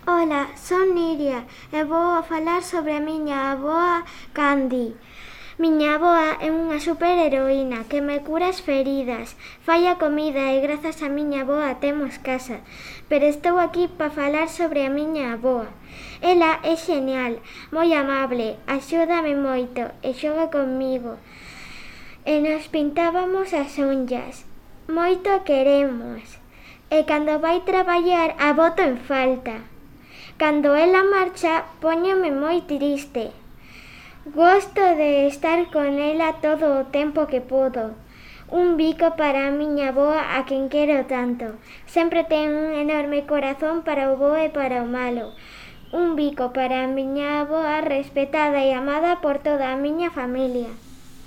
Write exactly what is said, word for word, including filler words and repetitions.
Ola, son Niria e vou a falar sobre a miña avoa Candy. Miña avoa é unha superheroína que me cura as feridas, fai a comida e grazas a miña avoa temos casa. Pero estou aquí para falar sobre a miña avoa. Ela é xenial, moi amable, axúdame moito e xoga comigo. E nos pintábamos as unllas. Moito queremos. E cando vai traballar a boto en falta. Cando ela marcha, póñome moi triste. Gosto de estar con ela todo o tempo que podo. Un bico para a miña avoa a quen quero tanto. Sempre ten un enorme corazón para o bo e para o malo. Un bico para a miña avoa respetada e amada por toda a miña familia.